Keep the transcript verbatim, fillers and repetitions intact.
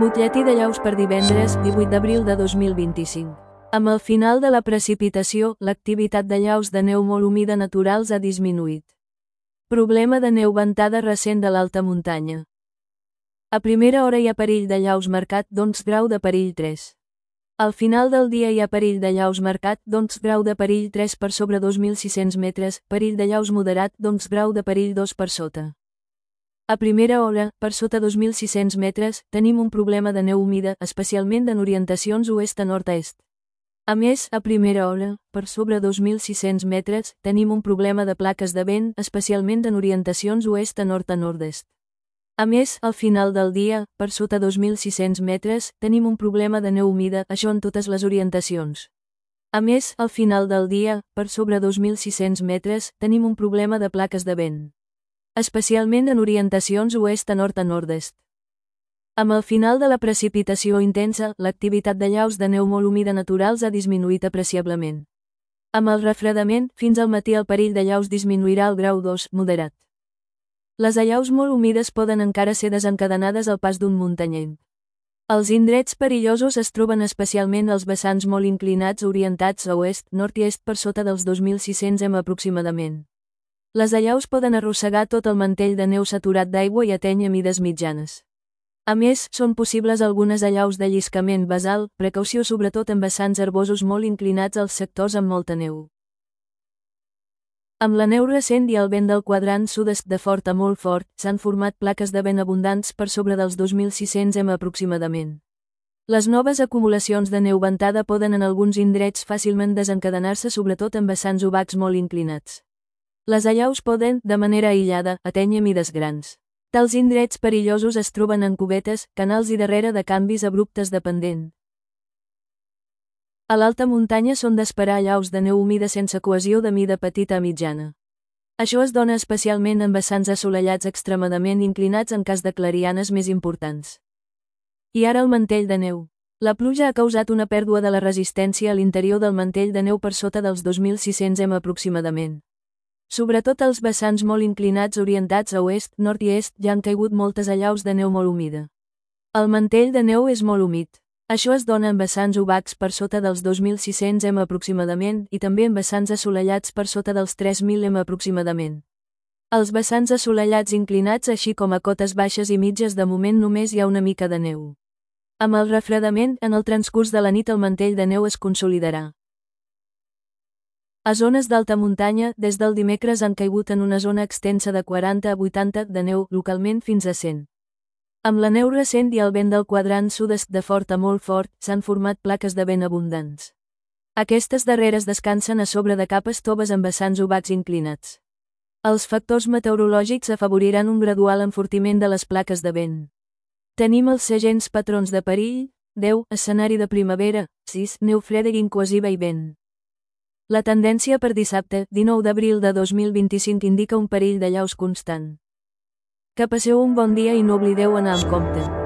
Butlletí de llaus per divendres, divuit d'abril de dos mil vint-i-cinc. Amb el final de la precipitació, l'activitat de llaus de neu molt humida naturals ha disminuït. Problema de neu ventada recent de l'alta muntanya. A primera hora hi ha perill de llaus marcat d'onze grau de perill tres. Al final del dia hi ha perill de llaus marcat d'onze grau de perill tres per sobre dos mil sis-cents metres, perill de llaus moderat d'onze grau de perill dos per sota. A primera hora, per sota dos mil sis-cents metres, tenim un problema de neu humida, especialment en orientacions oest a nord-est. A més, a primera hora, per sobre dos mil sis-cents metres, tenim un problema de plaques de vent, especialment en orientacions oest a nord a nord-est. A més, al final del dia, per sota dos mil sis-cents metres, tenim un problema de neu humida, això en totes les orientacions. A més, al final del dia, per sobre dos mil sis-cents metres, tenim un problema de plaques de vent, especialment en orientacions oest a nord a nord-est. Amb el final de la precipitació intensa, l'activitat de llaus de neu molt humida naturals ha disminuït apreciablement. Amb el refredament, fins al matí el perill de llaus disminuirà al grau dos, moderat. Les allaus molt humides poden encara ser desencadenades al pas d'un muntanyenc. Els indrets perillosos es troben especialment als vessants molt inclinats orientats a oest, nord i est per sota dels dos mil sis-cents metres aproximadament. Les allaus poden arrossegar tot el mantell de neu saturat d'aigua i atènyer mides mitjanes. A més, són possibles algunes allaus de lliscament basal, precaució sobretot en vessants herbosos molt inclinats als sectors amb molta neu. Amb la neu recent i el vent del quadrant sud-est de fort a molt fort, s'han format plaques de vent abundants per sobre dels dos mil sis-cents metres aproximadament. Les noves acumulacions de neu ventada poden en alguns indrets fàcilment desencadenar-se sobretot en vessants obacs molt inclinats. Les allaus poden, de manera aïllada, atènyer mides grans. Tals indrets perillosos es troben en cubetes, canals i darrere de canvis abruptes de pendent. A l'alta muntanya són d'esperar allaus de neu humida sense cohesió de mida petita a mitjana. Això es dona especialment en vessants assolellats extremadament inclinats en cas de clarianes més importants. I ara el mantell de neu. La pluja ha causat una pèrdua de la resistència a l'interior del mantell de neu per sota dels dos mil sis-cents metres aproximadament. Sobretot als vessants molt inclinats orientats a oest, nord i est ja han caigut moltes allaus de neu molt humida. El mantell de neu és molt humit. Això es dona en vessants obacs per sota dels dos mil sis-cents metres aproximadament i també en vessants assolellats per sota dels tres mil metres aproximadament. Als vessants assolellats inclinats així com a cotes baixes i mitges de moment només hi ha una mica de neu. Amb el refredament, en el transcurs de la nit el mantell de neu es consolidarà. A zones d'alta muntanya, des del dimecres han caigut en una zona extensa de quaranta a vuitanta de neu, localment fins a cent. Amb la neu recent i el vent del quadrant sud-est de fort a molt fort, s'han format plaques de vent abundants. Aquestes darreres descansen a sobre de capes toves amb vessants obacs inclinats. Els factors meteorològics afavoriran un gradual enfortiment de les plaques de vent. Tenim els segents patrons de perill: deu, escenari de primavera, sis, neu freda i incohesiva i vent. La tendència per dissabte, dinou d'abril de dos mil vint-i-cinc indica un perill de llaus constant. Que passeu un bon dia i no oblideu anar amb compte.